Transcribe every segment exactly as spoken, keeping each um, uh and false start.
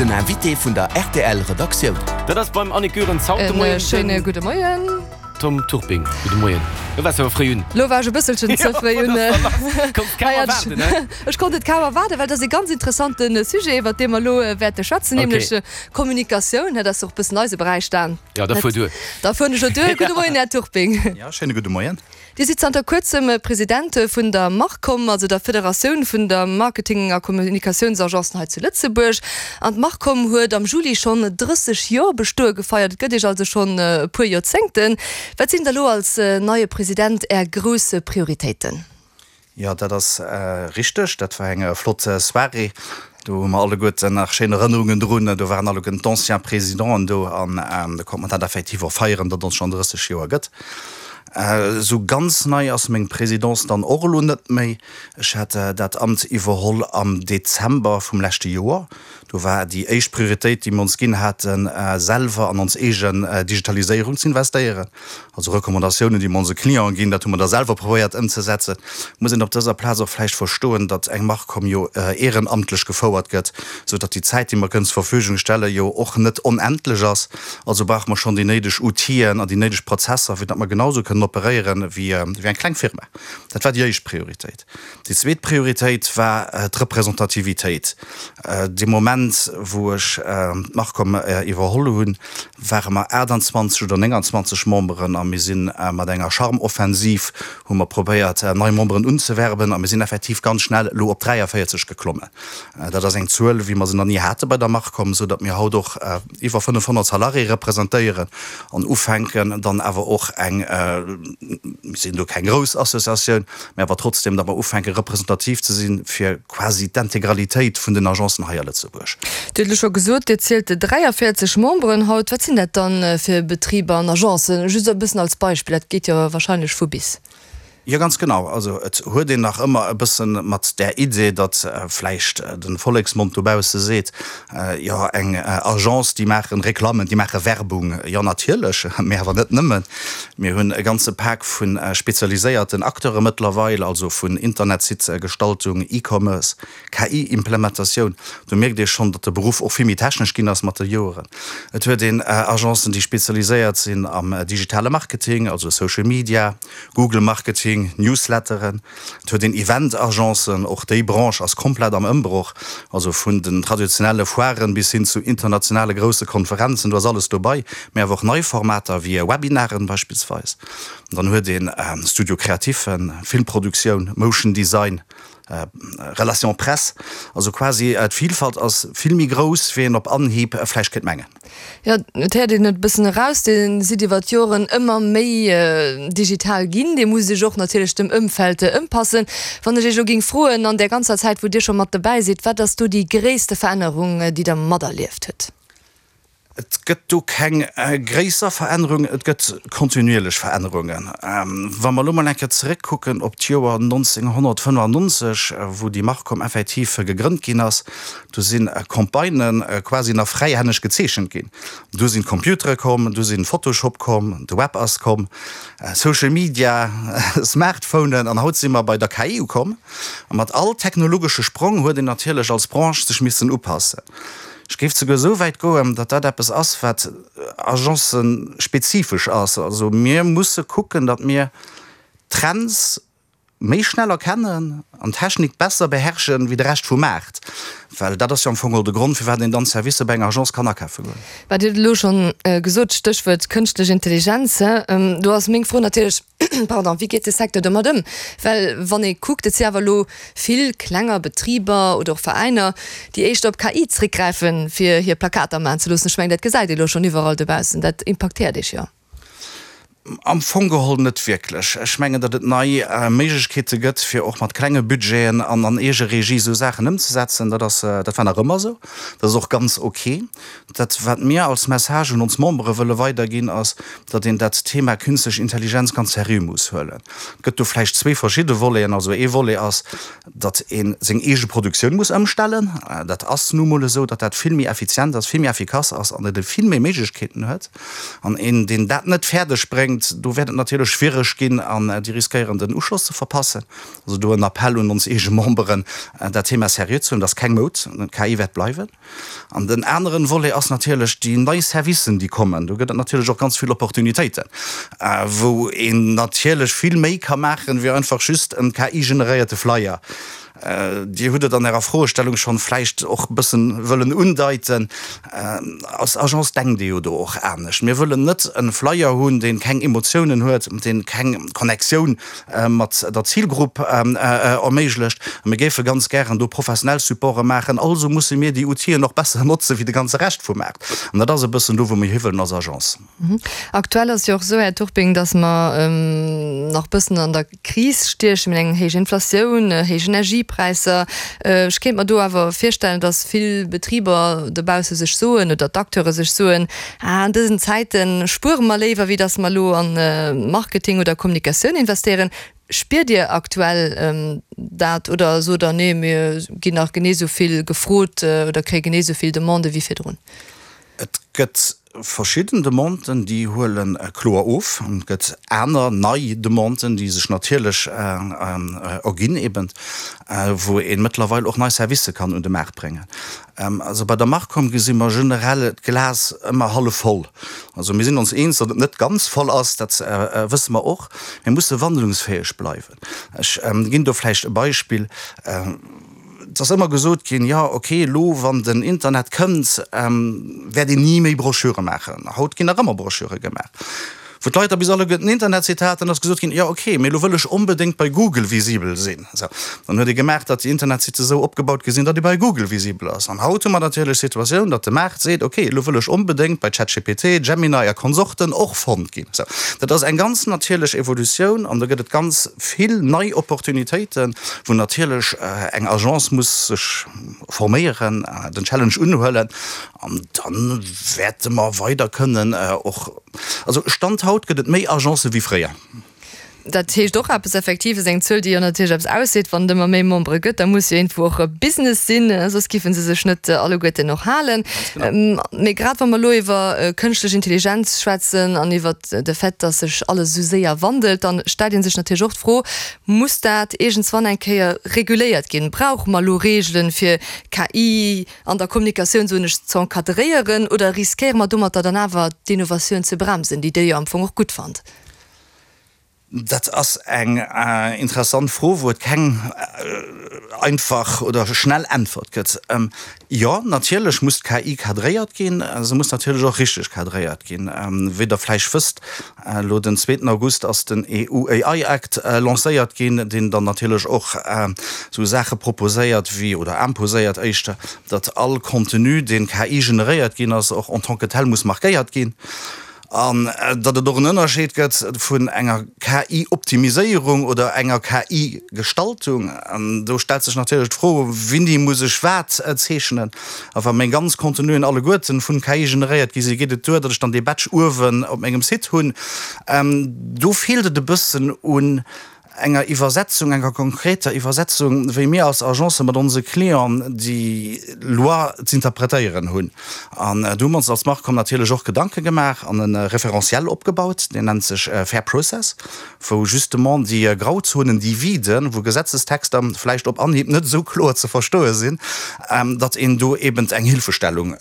Den Invité vun der R T L Redaktioun. Dat ass beim Annick Goerens haut de En Moien schéine den gudde Moien. Tom Turping. Gudde Moien. Lo waars awer fréi un. Lo war ech e bësselchen ze fréi un. Konns kaum erwaarden, ne? Ech konnt et kaum erwaarden, well dat ass e ganz interessante Sujet, iwwert dee mer elo wäerte schwätzen, Okay. nämlech Kommunikatioun. Dat ass och e bëssen eise Beräich dann. Ja, da fuer duer. Da fueren ech jo duer. Gudde Moien, Här Turping. Ja, schéine gudde Moien. Dir sidd zanter kuerzem President vun der Marcom, also der Federatioun vun der Marketing a Kommunikatiounsagencen hei zu Lëtzebuerg. An d'Marcom huet am Juli schonn drësseg Joer Bestoe gefeiert. Et gëtt Iech also schonn e puer Joerzéngten. Wat sinn da lo als neie President Är grouss Prioritéiten? Jo, dat ass richteg. Dat war eng flott Soirée. Do hu mer alleguerten nach schéin Erënnerungen drun. Do waren alleguerten d'anciens Présidenten do an do konnt mer dat effektiv och feieren, datt ons schonn drësseg Joer gëtt. Esou ganz nei ass meng Présidence dann och elo net méi. Ech hat dat Amt iwwerholl am Dezember vum leschte Joer. Do war déi éischt Prioritéit, déi mer ons ginn haten, selwer an ons eegen Digitaliséierung ze investéieren. Also Recommandatiounen, déi mer onse Clienten ginn, dat hu mer da selwer probéiert ëmzesetzen. Muss een op dëser Plaz och vläicht verstoen, datt eng Marcom jo ehrenamtlech gefouert gëtt, sou datt déi Zäit, déi mer kënnen zur Verfügung stellen, jo och net onendlech ass. Also brauche mer schonn déi néideg Outiller an déi néideg Prozesser, fir datt mer genau sou kënnen operéieren wéi eng kleng Firma. Dat war déi éischt Prioritéit. Déi zweet Prioritéit war d'Representativitéit. Dee Moment, wou ech d'Marcom iwwerholl hunn, ware mer aachtanzwanzeg oder nénganzwanzeg Memberen a mir si mat enger Charme-Offensiv hu mer probéiert, nei Memberen unzewerben a mir sinn effektiv ganz schnell elo op dräiavéierzeg geklommen. Dat ass eng Zuel, wéi mer se nach ni hate bei der Marcom, esou datt mir haut och iwwer fënnefhonnert Salariéë representéieren an ufänken dann awer och eng, mir sinn do keng grouss Associatioun, mä awer trotzdem, datt mer ufänke representativ ze sinn fir quasi d'Integralitéit vun den Agencen hei a Lëtzebuerg. Dir hutt elo scho gesot, Dir zielt dräiavéierzeg Memberen haut. Wat sinn dat dann fir Betriber an Agencen? Just e bëssen als Beispill, dat geet jo wahrscheinlech vu bis. Jo, ganz genau. Also et huet een nach ëmmer e bëssen mat där Idee, datt vläicht de Volleksmond dobausse seet, jo eng Agence, déi maachen Reklammen, déi maache Werbung. Jo natierlech, mee awer net nëmmen. Mir hunn e ganze Pak vu spezialiséierten Acteure mëttlerweil, also vun Internetsite-Gestaltung, E-Commerce, K I-Implementatioun. Do mierkt ee schonn, datt de Beruff och vill méi technesch ginn ass mat de Joeren. Et huet een Agencen, déi spezialiséiert sinn am digitale Marketing, also Social Media, Google Marketing, Newsletteren. Et huet een Event-Agencen, och déi Branche ass komplett am Ëmbroch, also vun den traditionelle Foiren bis hin zu internationale grousse Konferenzen, do ass alles dobei, mä awer och nei Formater wéi Webinaren beispillsweis. Dann huet een Studio Créatifen, Filmproduktioun, Motion Design, Relations Presse, also quasi d'Vilfalt ass vill méi grouss, wéi een op Anhieb vläicht kéint mengen. Jo, et héiert een et e bëssen eraus, Dir sidd iwwer d'Joren ëmmer méi digital ginn. Dir musst Iech och natierlech dem Ëmfeld ëmpassen. Wann ech Iech elo géing froen, an där ganzer Zäit, wou Dir scho mat dobäi sidd, wat ass do déi gréisste Verännerung, déi Der materlieft hutt? Et gëtt do keng gréisser Verännerung, et gëtt kontinuierlech Verännerungen. Wa mer elo mol eng Kéier zeréckkucken op d'Joer nonzénghonnertfënnefannonzeg, wou déi Marcom effektiv gegrënnt ginn ass, do si Campagnë quasi nach fräihänneg gezeechent ginn. Du sinn d'Computere komm, du sinn Photoshop komm, de Web ass komm, Social Media, Smartphonen an haut si mer bei der K I ukomm. A mat all technologesche Sprong huet een natierlech als Branche sech missen upassen. Ech géif souguer esou wäit goen, datt dat eppes ass, wat agencespezifesch ass. Also mir musse kucken, datt mir Trends méi schnell erkennen an d'Technik besser beherrschen, wéi de Rescht vum Maart. Well dat ass jo am Fong och de Grond, firwat een dann Servicer bei enger Agence kann akafe goen. Mä Dir hutt elo schonn gesot, Stéchwuert kënschtlech Intelligenz. Do ass meng Fro natierlech, pardon, wéi geet de Secteur domat ëm? Well wann ee kuckt, et si awer elo vill klenger Betriber oder och Veräiner, déi éischter op K I zréckgräifen, fir hir Plakater maachen ze loossen. Ech mengen, dat gesäit ee elo schonn iwwerall dobaussen. Dat impaktéiert Iech jo. Am Fong geholl net wierklech. Ech mengen, datt et nei Méiglechkeete gëtt, fir och mat klenge Budgeten an an Eegeregie esou Saachen ëmzesetzen. Dat ass, dat war nach ëmmer esou. Dat ass och ganz ok. Dat, wat mir als Message un ons Membere wëlle weiderginn, ass, datt een dat Thema Künstlech Intelligenz ganz seriö muss huelen. Et gëtt do vläicht zwee verschidde Voleten. Also ee Volet ass, datt ee seng eege Produktioun muss ëmstellen. Dat ass nu mol esou, datt dat vill méi effizient ass, vill méi effikass ass an et e vill méi Méiglechkeeten huet. An een, deen dat net fäerdeg bréngt, bréngt, do wäert et natierlech schwiereg ginn an déi riskéieren den Uschloss ze verpassen. Also do en Appell un ons eege Memberen, dat Thema seriö ze huelen, dat ass keng Moud, d'K I wäert bleiwen. An den aneren Volet ass natierlech déi nei Servicen, déi kommen. Do gëtt et natierlech och ganz vill Opportunitéiten, wou een natierlech vill méi ka maachen, wéi einfach just en K I-generéierte Flyer. Dir hutt et an Ärer Froestellung schonn vläicht och e bëssen wëllen undeiten. Als Agence denkt ee jo do och anescht. Mir wëllen net e Flyer hunn, dee keng Emotiounen huet, dee keng Connectioun mat der Zilgrupp erméiglecht. A mir géife ganz gären do professionell Supporte maachen. Also musse mir déi Outilen och besser notze wéi de ganze Rescht vum Maart. An dat ass e bëssen do, wou mir hiwëllen als Agence. Aktuell ass jo och esou, Här Turping, datt mer nach bëssen an der Kris stiechen, mir hunn eng héich Inflatioun, héich Energiepräisser. Ech kéint mer do awer virstellen, datt vill Betriber dobausse sech soen oder d'Acteure sech soen, ah an dësen Zäite spuere mer léiwer, wéi datt mer elo an Marketing oder Kommunikatioun investéieren. Spiert Dir aktuell dat oder sot Der, nee mir ginn nach genee esou vill gefrot oder kréie genee esou vill Demandë wéi virdrun? Et gëtt verschidden Demanden, déi huele kloer of. An et gëtt aner nei Demanden, déi sech natierlech erginn eben, wou ee mëttlerweil och nei Servicë kann un de Maart bréngen. Also bei der Marcom gesi mer generell d'Glas ëmmer hallef voll. Also mir sinn ons eens, datt et net ganz voll ass, dat wësse mer och. Mir musse wandlungsfäeg bleiwen. Ech ginn do vläicht e Beispill. Et ass ëmmer gesot ginn, jo ok, elo wann den Internet kënnt, wäert een ni méi Broschüre maachen. Haut ginn nach ëmmer Broschüre gemaach. Wou d'Leit da bis alleguerten den Internetsite haten, ass gesot ginn, jo ok, mee elo wëll ech onbedéngt bei Google visibel sinn. Sou, dann huet ee gemaach, datt déi Internetsite esou opgebaut gi sinn, datt ee bei Google visibel ass. An haut hu mer natierlech d'Situatioun, datt de Maart seet, ok, elo wëll ech onbedéngt bei ChatGPT, Gemini a Konsorten och fonnt ginn. Sou, dat ass eng ganz natierlech Evolutioun an do gëtt et ganz vill nei Opportunitéiten, wou natierlech eng Agence muss sech forméieren, den Challenge unhuelen an dann wäerte mer weider kënnen och, also Stand haut gëtt et méi Agencë wéi fréier. Dat heescht och eppes, effektiv ass eng Zuel, déi jo natierlech eppes ausseet. Wann et ëmmer méi Membere gëtt, da muss jo iergendwou och e Business sinn, soss giffen se sech net alleguerten och halen. Mee grad wa mer elo iwwer kënschtlech Intelligenz schwätzen an iwwer de Fait, datt sech alles esou séier wandelt, da stellt ee sech natierlech och d'Fro, Muss dat iergendswann eng Kéier reguléiert ginn? Brauche mer elo Reegelen, fir K I an der Kommunikatioun, soen ech, ze encadréieren oder riskéiere mer domatter dann awer d'Innovatioun ze bremsen, déi Dir jo am Fong och gutt fannt? Dat ass eng interessant Fro, wou et keng einfach oder schnell Äntwert gëtt. Jo, natierlech muss d'K I cadréiert ginn. Se muss natierlech och richteg cadréiert ginn. Wéi Der vläicht wësst, elo den zweeten August ass den E U A I Act lancéiert ginn, deen dann natierlech och esou Saache proposéiert wéi, oder imposéiert éischter, datt all Contenu, deen K I generéiert ginn ass, och en tant que tel muss markéiert ginn. An datt et och en Ënnerscheed gëtt vun enger K I-Optimiséierung oder enger K I-Gestaltung. An do stellt sech natierlech d'Fro, Wéini muss ech wat zeechnen? A wa meng ganz Contenuen alleguerten vun K I generéiert gi sinn, geet et duer, datt ech dann dee Badge uewen op mengem Site hunn? Do feelt et e bëssen un enger Iwwersetzung, enger konkreter Iwwersetzung, wéi mir als Agence mat onse Clienten déi Loi z'interpretéieren hunn. An do hu mer ons als Marcom natierlech och Gedanke gemaach an e Référentiel opgebaut, deen nennt sech Fair Process, wou justement déi Grauzonen, déi Viden, wou Gesetzestexter vläicht op Anhieb net esou kloer ze verstoe sinn, datt een do eben eng Hilfestellung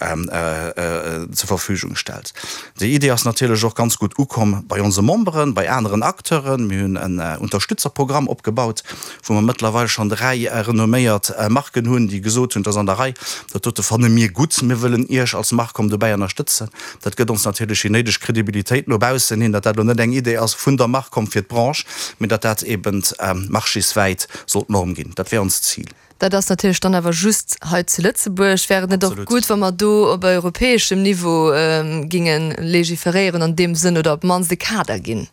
zur Verfügung stellt. Déi Idee ass natierlech och ganz gutt ukomm bei onse Memberen, bei aneren Acteuren. Mir hunn en Unterstützerprogramm opgebaut, wou mer mëttlerweil schonn dräi renomméiert Marken hunn, déi gesot hunn, Et ass an der Rei, dat dote fanne mir gutt, mir wëllen Iech als Marcom dobäi ënnerstëtzen. Dat gëtt ons natierlech déi néideg Kredibilitéit no baussen hin, datt dat elo net eng Idee ass vun der Marcom fir d'Branche, mee datt dat eben marchéswäit soll d'Norm ginn. Dat wär onst Zil. Dat ass natierlech dann awer just hei zu Lëtzebuerg. Wär et net och gutt, wa mer do op europäeschem Niveau géinge legiferéieren an deem Sënn oder op d'mannst e Kader ginn?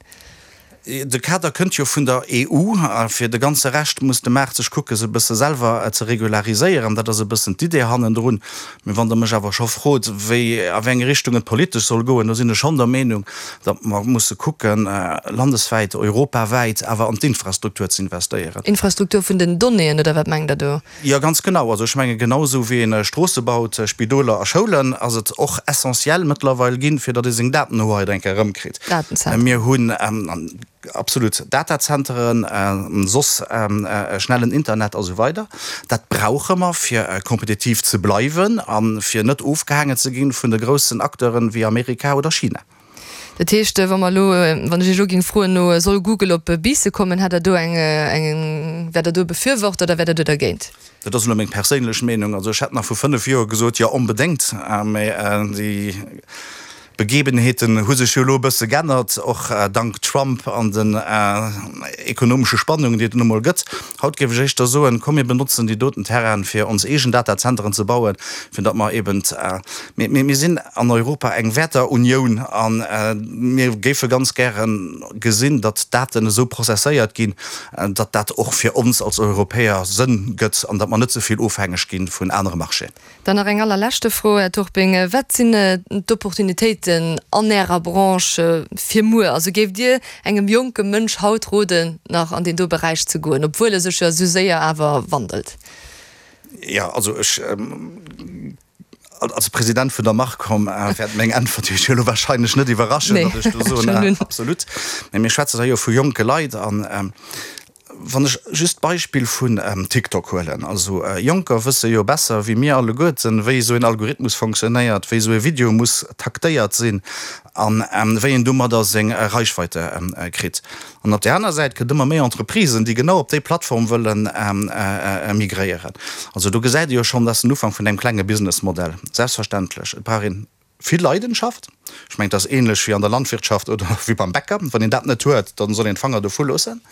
De Kader kënnt jo vun der E U. A fir de ganze Rescht muss de Maart sech kucke se e bësse selwer ze regulariséieren. Dat ass e bëssen d'Idee hannendrun. Mee wann Der mech awer scho frot, wéi, a wéi eng Richtung et politesch soll goen, do sinn ech schonn der Meenung, datt mer musse kucken, landeswäit, europawäit awer an d'Infrastruktur ze investéieren. Infrastruktur vun den Donnéeën, oder wat mengt Der do? Jo, ganz genau. Also ech menge genau esou wéi een Stroosse baut, Spidoler a Schoulen, ass et och essentiell mëttlerweil ginn, fir datt ee seng Datenhoheit eng Kéier erëmkritt. Datenzentren. Mir hunn absolut Datazenteren, soss schnellen Internet a sou weider. Dat brauche mer, fir kompetitiv ze bleiwen a fir net ofgehaangen ze ginn vun de groussen Acteuren wéi Amerika oder China. Dat heescht, wa mer elo, wann ech Iech elo géing froen no Soll Google op Biissen kommen, hätt Der do eng, eng, wäert Der do e Befürworter oder wäert Der do dergéint? Dat ass elo meng perséinlech Meenung. Also ech hätt nach vu fënnef Joer gesot, jo onbedéngt, mä déi Begebenheeten hu sech jo elo e bësse g'ännert, och dank Trump an den ekonomesche Spannungen, déi et nu mol gëtt. Haut géif ech éischter soen, komm mir benotzen déi doten Terrainen, fir ons eegen Datazenteren ze bauen, fir datt mer eben, mir, mir sinn an Europa eng Wäerterunioun a mir géife ganz gäre gesinn, datt d'Daten esou prozesséiert ginn, datt dat och fir ons als Europäer Sënn gëtt an datt mer net ze vill ofhängeg gi vun anere Marchéen. Dann nach eng allerleschte Fro, Här Turping, Wat sinn d'Opportunitéiten an Ärer Branche fir muer? Also géift Dir engem jonke Mënsch haut roden, nach an deen do Beräich ze goen, obwuel e sech jo esou séier awer wandelt? Jo, also ech als President vun der Marcom wäert meng Äntwert Iech jo elo wahrscheinlech net iwwerraschen, datt ech do soen, absolut. Mä mir schwätzen hei jo vu jonke Leit an Wann ech just d'Beispill vun TikTok huelen, also Jonker wësse jo besser wéi mir alleguerten, wéi esou een Algorithmus fonctionnéiert, wéi esou e Video muss taktéiert sinn a wéi een domadder seng Reichweite kritt. An op där aner Säit gëtt ëmmer méi Entreprisen, déi genau op déi Plattform wëlle migréieren. Also do gesäit ee jo schonn, dat ass den Ufank vun engem klenge Businessmodell. Selbstverständlech, et brauch een Vill Leidenschaft. Ech mengen, et ass ähnlech wéi an der Landwirtschaft oder wéi beim Bäcker, wann een dat net huet, dann soll een d'Fanger dovu loossen.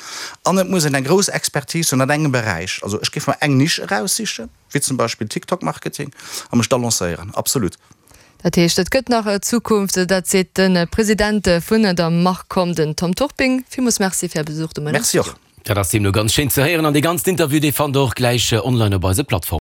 An et muss een eng grouss Expertise hunn an engem Beräich. Also ech géif mer eng Nisch eraussichen, wéi zum Beispill TikTok-Marketing, a mech da lancéieren. Absolut. Dat heescht, et gëtt nach Zukunft. Dat seet de President vun der Marcom, den Tom Turping. Villmools Merci fir Är Besuch de Moien am Merci Studio. och. Dat ass deemno ganz schéin ze héieren an dee ganzen Interview, dee fannt der och gläich online op eise Plattformen.